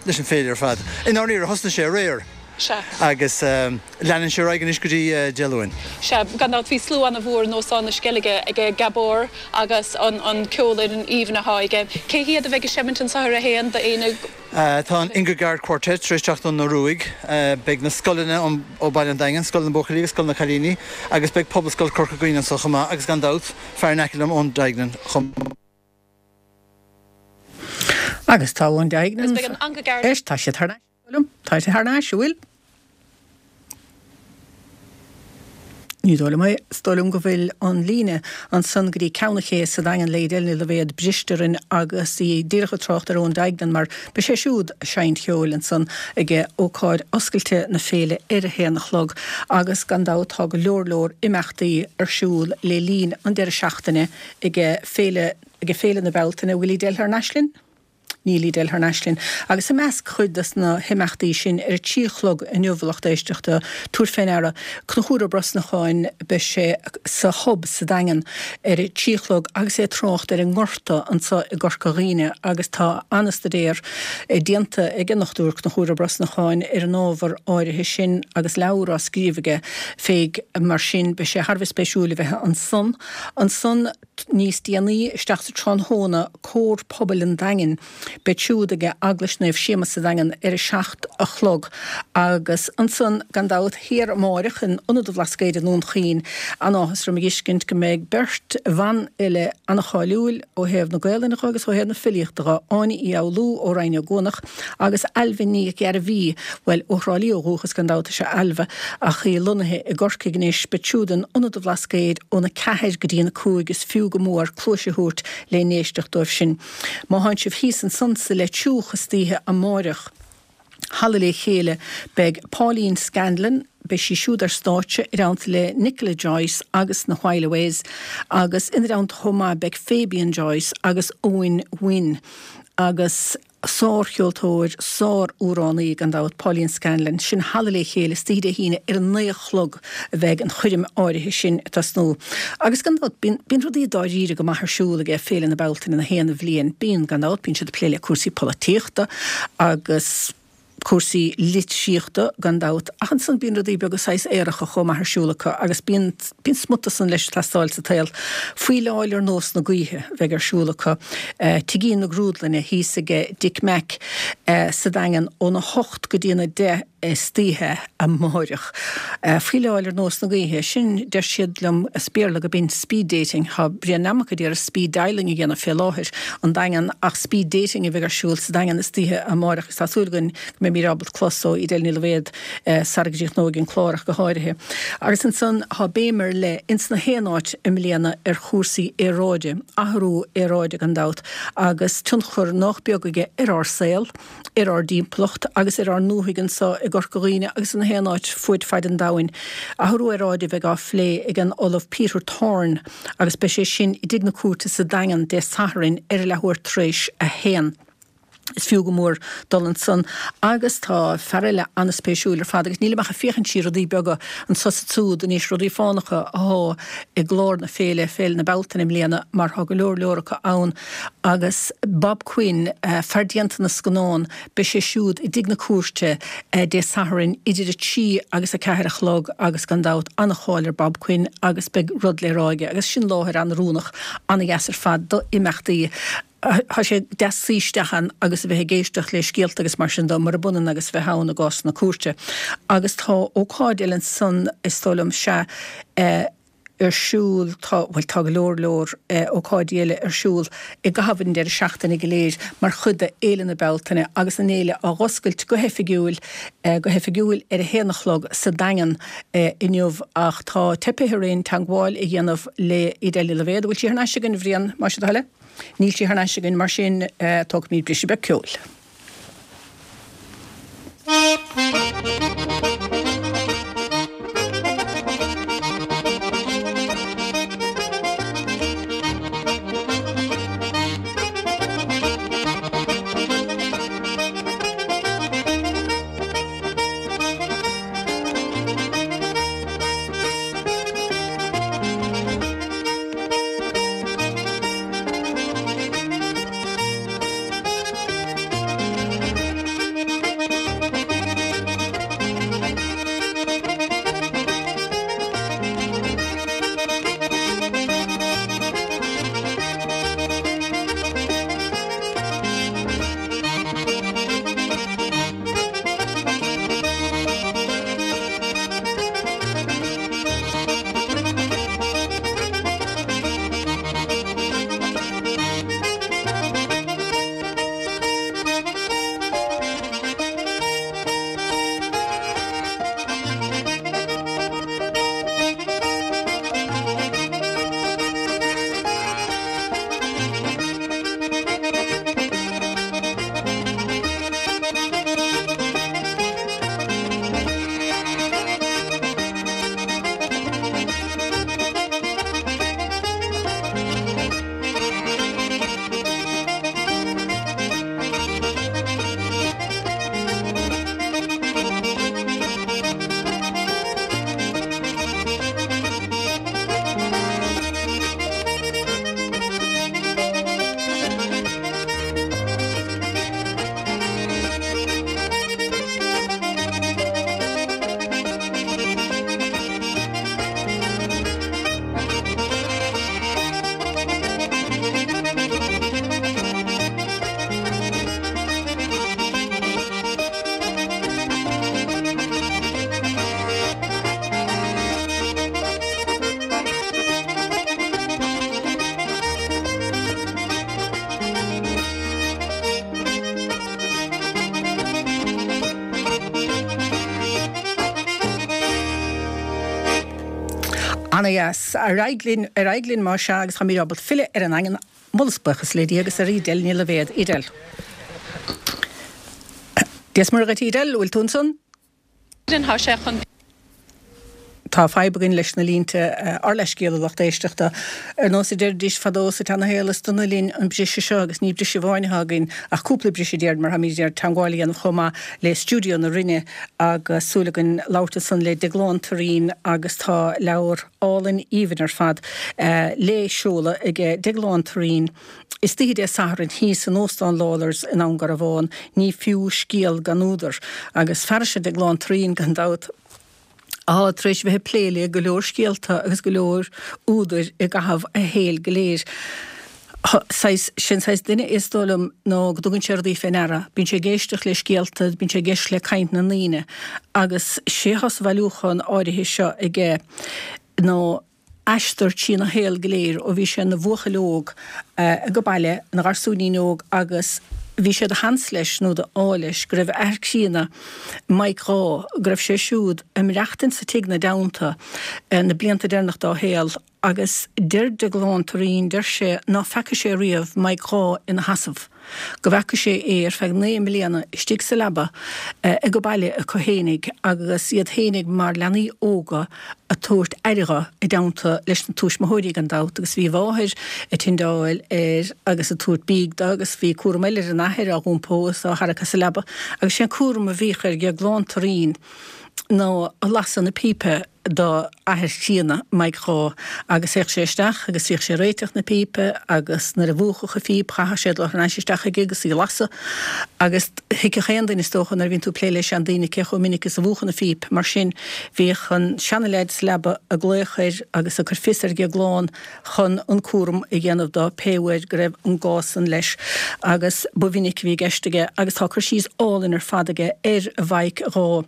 leis an féile ar fad. I ndáiríre, thosnaigh sé aréir. Sea. Agus leanann sé ar aghaidh anois go dtí Dé Luain. Sea, gan dabht bhí slua ana-mhór in Óstán na Sceilge ag Gabor agus an ceolfhoireann aoibhinn atá aige. Cé hiad a bheidh ag seimint anseo ar a haon d'éinne? Tá an Ingegerd Quartet tar éis teacht ón Ioruaidh. Beidh na scoileanna ó Baile an Daingin, Scoil na mBuachaillí agus Scoil na Cailíní agus beidh Pobalscoil Corca Dhuibhne anseo chomh maith agus gan dabht, fear in aice liom Eoin Duignan chomh maith. Agus tá Eoin Duignan. Agus beidh an Ingegerd. Éist, tá siad thar n-ais, liom. Tá siad thar n-ais, an bhfuil? Ní dóigh liom é. Is dóigh liom go bhfuil an líne ansan go dtí Ceann an Ché sa Daingean le Edel Ní Loibhéad briste orainn agus í díreach ag trácht ar Eoin Duignan mar beidh sé siúd ag seinnt cheoil ansan ag ócáid oscailte na féile ar a haon a chlog agus gan dabht tá go leor leor imeachtaí ar siúl le linn an deireadh seachtaine ag Féile ag Féile na Bealtaine. Bhfuil Edel thar n-ais linn? Níl Edel thar n-ais linn. Agus i measc chuid de na himeachtaí sin, ar a trí a chlog inniu, a lucht éisteachta, tabhair fé ndeara, Conchúr Ó Brosnacháin, beidh sé sa Hub sa Daingean ar a trí a chlog agus é ag trácht ar an ngorta anseo i gCorca Dhuibhne agus tá an-staidéar déanta ag an nDochtúir Conchúr Ó Brosnacháin ar an ábhar áirithe sin agus leabhar á scríobh aige fé mar sin beidh sé thar a bheith spéisiúil a bheith ansan. Ansan. Níos déanaí isteach sa tráthnóna, Cór Pobail an Daingin, beid siúd ag Eaglais Naomh Séamus sa Daingean ar a 7 a chlog agus ansan, gan dabht, thiar amáireach in Ionad an Bhlascaoid i nDún Chaoin, an-áthas orm a dh'fheiscint go mbeidh beirt bhanfhile an-cháiliúil ó thaobh na Gaelainne dho agus ó thaobh na filíochta dho, Áine Uí Fhoghlú ó Rinn Ó gCuanach agus Ailbhe Ní Ghairbhí, bhuel, ó Thrá Lí ó dhúchas gan dabht is ea Ailbhe, ach í lonnaithe i gCorcaigh anois. Beid siúd in Ionad an Bhlascaoid óna 4 go dtí an 5, is fiú go mór cluais a thabhairt le n-éisteacht dóibh sin. Má thánn sibh thíos ansan sa Leitriúch istoíche amáireach, Halla Le Chéile, beidh Pauline Scanlon, beidh sí siúd ar stáitse i dteannta le Nicola Joyce agus na Whileaways agus ina dteannta chomh maith beidh Fabian Joyce agus Eoin Wynne agus sár-cheoltóir, sár-amhránaí gan dabht, Pauline Scanlon. Sin Halla Le Chéile istoíche Dé hAoine ar a naoi a chlog a bheidh an choirm áirithe sin ag tosnú. Agus gan dabht, bíonn, bíonn rudaí dáiríre go maith ar siúl aige Féile na Bealtaine na haon bhliain. Bíonn, gan dabht, bíonn siad ag plé le cúrsaí polaitíochta agus cúrsaí litríochta, gan dabht, ach ansan bíonn rudaí beaga saghas aeracha chomh maith ar siúl acu agus bíonn, bíonn smut de san leis ag teastáil sa tsaol. Faoileáil ar nós na gaoithe a bheidh ar siúl acu, Tigín na Grúdlainne thíos aige Dick Mack sa Daingean óna hocht go dtí an 10 istoíche amáireach. Faoileáil ar nós na gaoithe, sin, deir siad liom, as Béarla go b'in speed dating. Tá Brian Nammock a d'iarraidh speed dialing a dhéanamh fé láthair an Daingean ach speed dating a bheidh ar siúl sa Daingean istoíche amáireach agus tá súil againn go mbeimid ábalta clos ó Edel Ní Loibhéad sara gcríochnóidh an clár ach go háirithe. Agus ansan tá béim ar leith ins na haon áit i mbliana ar chúrsaí aeráide, athrú aeráide gan dabht agus tionchar nách beag aige ar ár saol. ar ár dtimpeallacht agus ar ár ndúthaigh anso i gCorca Dhuibhne agus ina haon áit fuaid faid an domhain. Athrú aeráide a bheidh á phlé ag an Ollamh Peter Thorne agus beidh sé sin i dTigh na Cúirte sa Daingean Dé Sathairn ar a leathuair tar éis a haon. Is fiú go mór dul ansan. Agus tá fear eile an-spéisiúil ar fad agus nílim ach ag féachaint siar rudaí beaga anso is ansúd anois, rudaí fánacha athá i gclár na féile, Féile na Bealtaine i mbliana mar tá go leor leor acu ann. Agus Bob Quinn, fear déanta na scannán, beidh sé siúd i dTigh na Cúirte Dé Sathairn idir 3 agus 4 a chlog agus gan dabht an-cháil ar Bob Quinn agus beidh rud le rá aige agus sin láthair an-oiriúnach, an-dheas ar fad do imeachtaí. Tá sé deas suí isteach ann agus a bheith ag éisteacht le scéalta agus mar sin de, murab ionann agus a bheith ann i gcás na cúirte. Agus tá ócáid eile ansan, is dóigh liom, sea, ar siúl, tá, bhuel tá go leor leor ócáidí eile ar siúl i gcaitheamh an deireadh seachtaine go léir mar chuid de Fhéile na Bealtaine agus an fhéile á dh'oscailt go hoifigiúil, go hoifigiúil ar a haon a chlog sa Daingean inniu ach tá teipithe orainn teagmháil a dhéanamh le Edel Ní Loibhéad. An bhfuil sí thar n-ais againn, a Bhriain, más é do thoil é? Níl sí thar n-ais againn, mar sin tógfaimid briseadh beag ceoil. Ana-dheas. Ar aghaidh linn, ar aghaidh linn más ea agus táimid ábalta filleadh ar an nDaingean. Moladh is buíochas le Dia agus ar Edel Ní Loibhéad. Edel. Dia is Muire dhuit Edel, bhfuil tú ansan? Tá sé chun. Tá fadhb againn leis na línte, ár leithscéal a lucht éisteachta. Ar nós a deiridís fadó sa tseana-shaol is dona linn an briseadh seo agus ní briseadh amháin atá againn ach cúpla briseadh déarfainn mar táimid ag iarraidh teagmháil a dhéanamh chomh maith le stiúideo na Rinne agus súil againn labhairt ansan le Deaglán Turraoin agus tá leabhar álainn aoibhinn ar fad le seoladh aige Deaglán Turraoin istoíche Dé Sathairn thíos in Óstán Lawlor's i nDún Garbhán, Ní fiú scéal gan údar. Agus fear is ea Deaglán Turraoin gan dabht, atá tar éis bheith ag plé le go leor scéalta agus go leor údair i gcaitheamh a shaoil go léir. Saghas, sin saghas duine é is dóigh liom nó go dtugann sé rudaí fé ndeara. Bíonn sé ag éisteacht le scéalta, bíonn sé ag éisteacht le caint na ndaoine agus sé atá sa bhailiúchán áirithe seo aige ná aistear trína shaol go léir ó bhí sé ina bhuachaill óg age baile, ina gharsúinín óg agus bhí sé de sheans leis nó de ádh leis go raibh a athair críonna, Mike Dhá, go raibh sé siúd ag maireachtaint sa tigh 'na dteannta na blianta deireanach dá shaol agus deir Deaglán Turraoin, deir sé ná feaca sé riamh Mike Dhá ina sheasamh. go bhfeaca sé é ar feadh 9 mbliana istigh sa leaba age baile acu fhéinig agus iad fhéinig mar leanaí óga a' tabhairt aire dho i dteannta leis na tuismitheoirí gan dabht agus bhí a mháthair a' tindeáil air agus a' tabhairt bídh do agus bhí cúram eile ar an athair á dh'iompó is á tharrac as an leaba agus sé an cúram a bhíodh ar Dheaglán Turraoin ná a' lasadh na pípe do athair chríonna Mike Dhá agus théadh sé isteach agus bhíodh sé ag réiteach na pípe agus nuair a mhúchfadh an phíp chaitheadh sé dul thar n-ais isteach chuige agus í a lasadh agus thuigfeadh aon duine is dócha nuair a bhíonn tú ag plé le seandaoine cé chomh minic is a mhúchann an phíp mar sin bhíodh an seana-leaid sa leaba ag glaoch air agus ag cur fios ar Dheaglán chun an cúram a dhéanamh dó pé uair go raibh an gá san leis agus ba mhinic a bhí i gceist aige agus tá cur síos álainn ar fad aige ar Mhaidhc Dhá.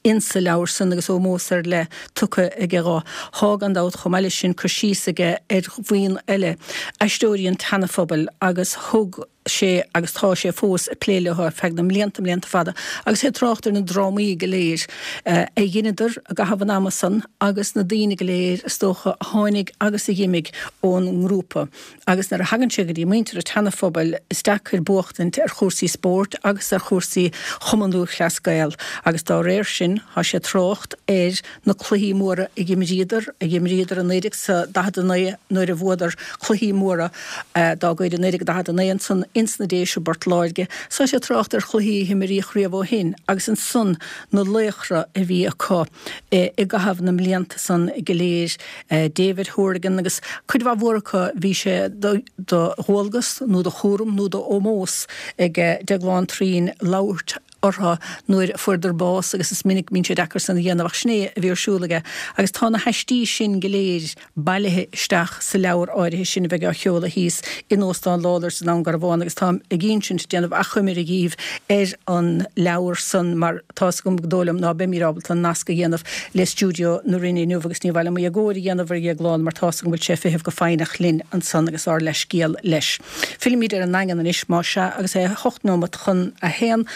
insa leabhar san agus ómós ar leith tugtha aige dho. Thá, gan dabht, chomh maith leis sin, cur síos aige ar bhuíon eile, Aisteoirí an tSeana-Phobail, agus thug sé agus tá sé fós ag plé leo ar feadh na mblianta, mblianta fada, agus é ag trácht ar na drámaí go léir a dheineadar i gcaitheamh an ama san agus na daoine go léir, is dócha, a tháinig agus a dh'imigh ón ngrúpa. Agus nuair a thagann sé go dtí muintir an tSeana-Phobail, is deacair buachtaint ar chúrsaí spóirt agus ar chúrsaí Chumann Lúthchleas Gael, agus dá réir sin, tá sé ag trácht ar na cluichí móra a dh'imríodar, a dh'imríodar i 1949 nuair a bhuadar cluichí móra dá gcuid i 1949 ansan ins na Déise i bPort Láirge. Tá sé ag trácht ar chluichí a himríodh riamh ó shin, agus ansan na laochra a bhí acu i gcaitheamh na mblianta san go léir. David Hourigan agus cuid mhaith mhór acu bhí sé de dhualgas nó de chúram nó d'ómós ag Deaglán Turraoin labhairt orthu nuair a fuaireadar bás agus is minic bíonn sé deacair san a dhéanamh ach sin é a bhí ar siúl aige agus tá na haistí sin go léir bailithe isteach sa leabhar áirithe sin a bheidh á sheoladh thíos in Óstán Lawlor's i nDún Garbhán agus táim ag insint, déanamh achoimre dhíbh ar an leabhar san mar tá's agam go dóigh liom ná beimíd ábalta an nasc a dhéanamh le stiúideo na Rinne inniu agus ní mhaith liom éagóir a dhéanamh ar Dhéaglán mar tá's agam go bhfuil sé ag feitheamh go foighneach linn ansan agus ár leithscéal leis. Fillimid ar an nDaingean anois más ea agus é 8 nóimeat chun a haon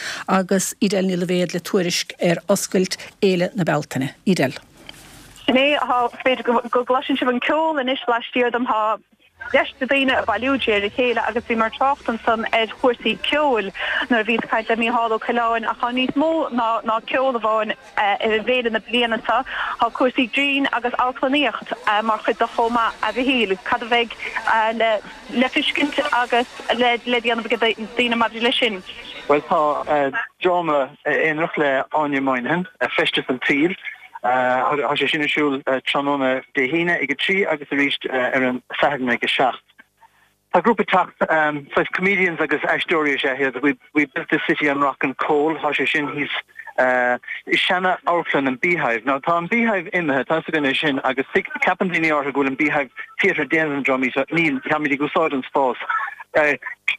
agus Edel Ní Loibhéad le tuairisc ar oscailt Fhéile na Bealtaine. Edel. Sin é, tá, b'fhéidir go gcloiseann sibh an ceol anois laistiar dom, tá deis de daoine ag bailiú de réir a chéile agus bhíomar ag trácht ansan ar chúrsaí ceoil nuair a bhíos ag caint le Mícheál Ó Coileáin ach tá níos mó ná ná ceol amháin ar an bhféile na bliana seo, tá cúrsaí grinn agus amharclannaíocht mar chuid de chomh maith. A Mhichíl, cad a bheidh le le feiscint agus le le déanamh ag daoine maidir leis sin? Bhuel tá dráma aonarach le Áine Moynihan, Feisteas an tSaoil. Tá sé sin ar siúl tráthnóna Dé hAoine ag 3 agus arís ar an Satharn ag 7. Tá grúpa ag teacht, saghas comedians agus aisteoirí is ea iad, We Built This City on Rock and Coal, tá sé sin thíos i seana-amharclann an Beehive. Now tá an Beehive imithe, tá fhios againn é sin, agus ceapann daoine áirithe go bhfuil an Beehive Theatre ag déanamh na drámaí seo, níl, táimid ag úsáid an spás.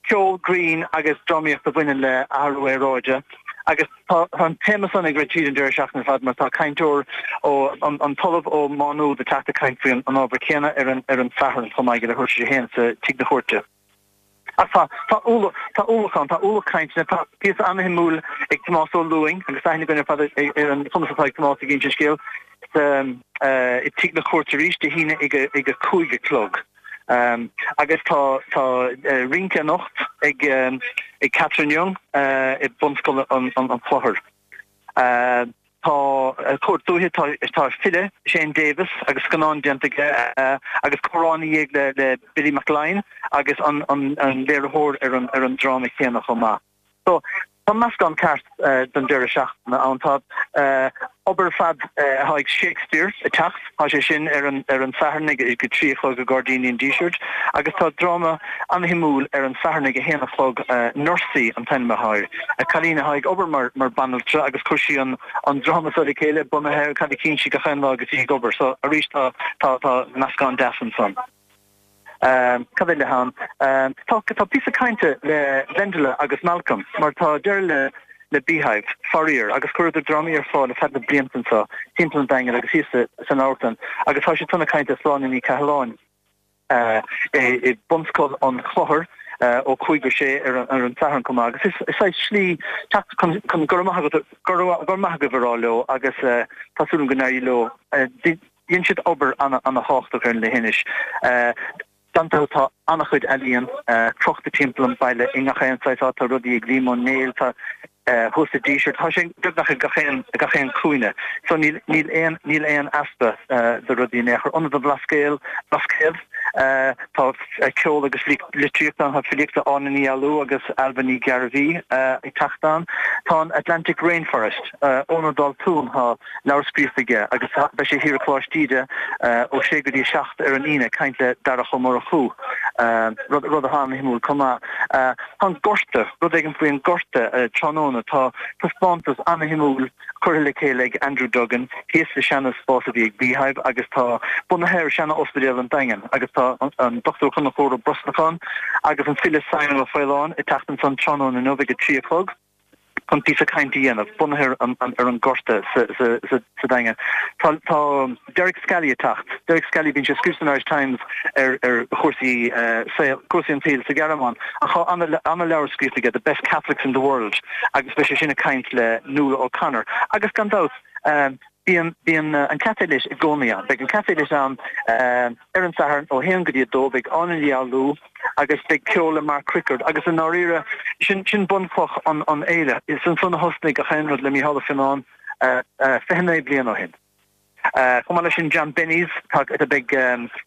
Ceol, grinn agus drámaíocht a bhaineann le athrú aeráide agus. Tá an téama san ag rith tríd an deireadh seachtaine ar fad mar tá cainteoir ó an tOllamh ó Má Nuad ag teacht ag caint faoi an ábhar céanna ar an ar an Satharn chomh maith ag leathuair tar éis a haon sa Tigh na Cúirte. Ach tá tá ualach tá ualach ann, tá ualach cainteanna, tá píosa an-shuimiúil ag Tomás Ó Lúing agus aithne againn ar fad ar an chumas atá ag Tomás ag insint scéil. i Tigh na Cúirte arís Dé hAoine ag a 5 a chlog. Agus tá tá rince anocht ag ag Catherine Young i Bunscoil an Chlochair. Tá Cúirt Dúiche, tá tá file Shane Davis agus scannán déanta aige agus comhrá ina dhiaidh le le Billy Mac Fhloinn agus an an an léiritheoir ar an ar an dráma chéanna chomh maith. So, tá meascán ceart don deireadh seachtaine ann. Tá obair ar fad atá ag Shakespeare ag teacht, tá sé sin ar an ar an Satharn ag a 3 a chlog i Gairdíní an Dísirt agus tá dráma an-shuimiúil ar an Satharn ag a 1 a chlog, Nursie an t-ainm atá air. Cailín atá ag obair mar mar banaltra agus chuir sí an an dráma seo le chéile bunaithe ar cad a chíonn sí gach aon lá agus í ag obair. So, arís tá tá tá meascán deas ansan. Cad eile ann? Tá tá píosa cainte le Wendela agus Malcolm mar tá deireadh le le Beehive, faraor, agus chuireadar drámaí ar fáil ar feadh na blianta anseo timpeall an Daingin agus thíos san amharclann agus tá siad chun caint le Sláine Ní Chathalláin i Bunscoil an Chlochair ó 5 go 6 ar an Satharn chomh maith agus is saghas slí teacht chun chun go raibh maith agat go raibh maith agaibh a rá leo agus tá súil agam go n-éireoidh leo. Dhein siad obair ana-thábhachtach ar an leithinis. Gan dabht tá an-chuid ealaíon crochta timpeall an bhaile i ngach aon saghas áit. Tá rudaí ag Liam Ó Néill, tá thuas sa Díseart, tá sé beagnach i gach aon, gach aon cúinne. So níl, níl aon, níl aon easpa de rudaí in aon chor. Ionad an Bhlascaoil, Blascaod, tá ceol agus litríocht ann, tá filíocht le Áine Ní Fhoghlú agus Ailbhe Ní Ghearbhuigh ag teacht ann. Tá an Atlantic Rainforest, Eoin Ó Daltúin, tá. leabhar scríofa aige agus beidh sé thiar i Coláiste Íde ó 6 go dtí 7 ar an Aoine ag caint le Darach Ó Murchú, rud atá an-shuimiúil chomh maith. Tá an Gorta, rud éigin faoi an Gorta tráthnóna, tá taispeántas an-shuimiúil curtha le chéile ag Andrew Duggan thíos sa seana spás a bhí ag Beehive agus tá bunaithe ar seana ospidéal an Daingin agus tá an Dr Conchúr Ó Brosnacháin agus an file Simon Ó Faoláin ag teacht ansan tráthnóna inniu ag 3 a chlog. chun píosa cainte a dhéanamh, bunaithe ar an Gorta sa Daingean. Tá Derek Scally ag teacht. Derek Scally, bíonn sé ag scríobh san Irish Times ar chúrsaí saoil, cúrsaí an tsaoil sa Ghearmáin, ach tá an-leabhar scríofa aige, The Best Catholics in the World, agus beidh sé sin ag caint le Nuala O'Connor. Agus gan dabht, bíonn bíonn an Café Lit i gcónaí ann. Beidh an Café Lit ann ar an Satharn ó 1 go dtí 2, beidh Áine Ní Fhoghlú agus beidh ceol le Mark Rickard agus i ndáiríre sin sin bunchloch an an fhéile. Is ansan a thosnaigh gach aon rud le Mícheál Ó Fionnáin 29 bliain ó shin. Chomh maith leis sin John Bennies, tá beidh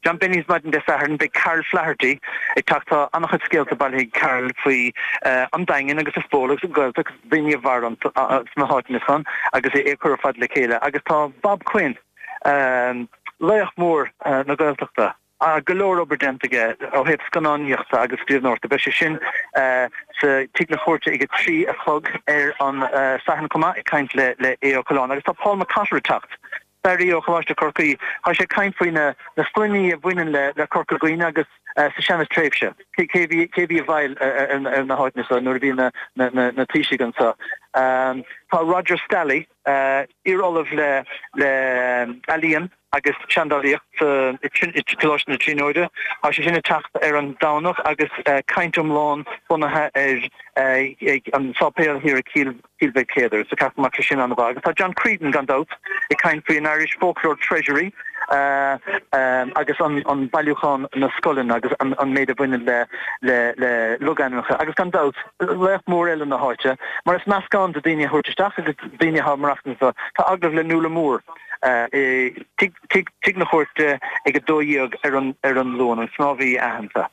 John Bennies maidin Dé Sathairn, beidh Carol Flaherty ag teacht, tá an-chuid scéalta bailithe ag Carol faoi an Daingean agus an Spól agus an Ghaeltacht agus daoine a mhair sna háiteanna san agus é ag cur ar fad le chéile agus tá Bob Quinn, laoch mór na Gaeltachta, go leor obair déanta aige ó thaobh scannánaíochta agus scríbhneoireachta. Beidh sé sin sa Tigh na Cúirte ag 3 a chlog ar an Satharn chomh maith ag caint le Aodh Ó Coileáin agus tá Paul McCotter ag teacht, staraí ó Choláiste Chorcaí. Tá sé ag caint faoi na sloinní a bhaineann le Corca Dhuibhne agus sa seana-tréimhse, cé bhí cé bhí i bhfeighil ar na háiteanna seo nuair a bhí na taoisigh anseo. Tá Roger Scally, iar-ollamh le le ealaíon agus seandálaíocht i Coláiste na Tríonóide, tá sé sin ag teacht ar an Domhnach agus caint iomlán bunaithe ar an sáipéal thiar i Cill Cill Mhic Céadair, so ceapaim go mbeadh sé sin an-mhaith. Agus tá John Creedon, gan dabht, ag caint faoi an Irish Folklore Treasury agus an bailiúchán na scoileanna agus an méid a bhaineann le le logainmneacha. Agus gan dabht, laoch mór eile na háite, mar is meascán de daoine a thabhairt isteach agus daoine atá ag maireachtaint anseo. Tá agallamh le Nuala Moore i Tigh na Cúirte ag 12 ar an Luan, an snámhaí aitheanta.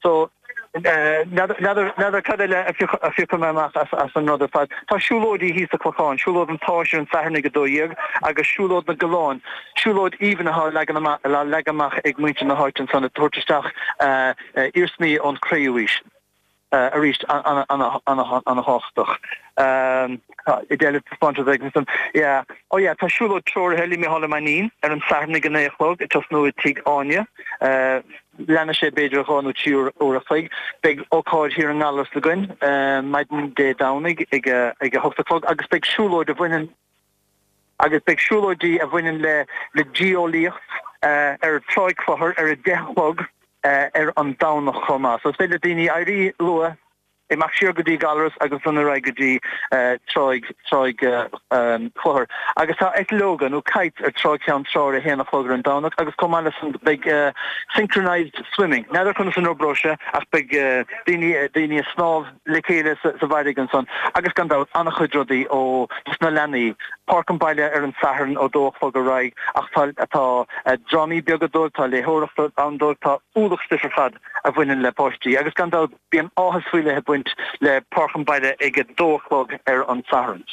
So, n'fheadar cad eile a phiocfaidh mé amach as an rud ar fad. Tá siúlóidí thíos sa Chlochán, siúlóid an tSáis ar an Satharn ag 12 agus siúlóid na gCoileán, siúlóid aoibhinn atá á leagan amach ag muintir na háite ansan ag tabhairt isteach iarsmaí ón Chré-Umhaois. Arís, an-thábhachtach. Idéal taispeántas ag an Yeah. Oh yeah, tá siúlóid treoraithe le Mícheál Ó Mainnín ar an Satharn ag 9 a chlog ag tosnú i Tigh Áine. Leanfaidh sé b'fhéidir 2 nó 3 uair a chloig. Beidh ócáid thiar i nGallarus againn maidin Dé Domhnaigh ag a 8 a chlog agus beidh siúlóid a bhaineann agus beidh siúlóidí a bhaineann le le geolaíocht ar Tráigh Chlochair ar a 10 a chlog ar an Domhnach chomh maith. So is féidir le daoine éirí luath. Imeacht siar go dtí Gallarus agus ansan ar aghaidh go dtí Tráigh, Tráigh Chlochair. Agus tá eitleoga nó kites ar Tráigh Cheann Trá ar a haon a chlog ar an Domhnach agus chomh maith le san beidh synchronised swimming. N'fheadar conas an oibreoidh sé ach beidh daoine, daoine ag snámh le chéile sa bhfarraige ansan. Agus gan dabht an-chuid rudaí ó dos na leanaí. Páirc an Bhaile ar an Satharn ó dó a chlog ar aghaidh ach tá, tá drámaí beaga dóibh, tá léitheoireacht ann dóibh, tá ualach stuif ar fad a bhaineann le páistí agus gan dabht Bíonn áthas faoi leith ag baint le Páirc an Bhaile ag 2 a chlog ar an Satharn.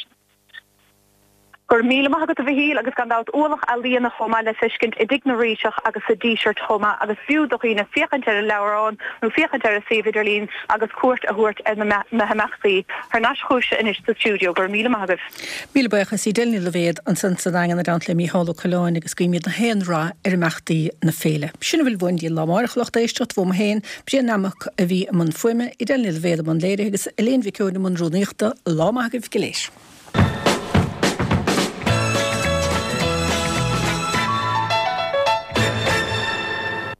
Go raibh míle maith agat a Mhichíl agus gan dabht ualach ealaíona chomh maith le feiscint i dTigh na Ríthe agus sa Díseart chomh maith agus b'fhiú do dhaoine féachaint ar an leabhrán nó féachaint ar an suíomh idirlín agus cuairt a thabhairt ar na himeachtaí. Thar n-ais chugaibhse anois sa stiúideo. Go raibh míle maith agaibh. Míle buíochas Edel Ní Loibhéad ansan sa Daingean i dteannta le Mícheál Ó Coileáin agus guímid na haon rath ar imeachtaí na féile. Sin a bhfuil uainn go dtí an lá amárach a lucht éisteachta, uaim féin, Brian Nammock a bhí i mbun fuaime, Edel Ní Loibhéad i mbun léirithe agus Elaine Mhic Eoin i mbun rúnaíochta. Lá maith agaibh go léir.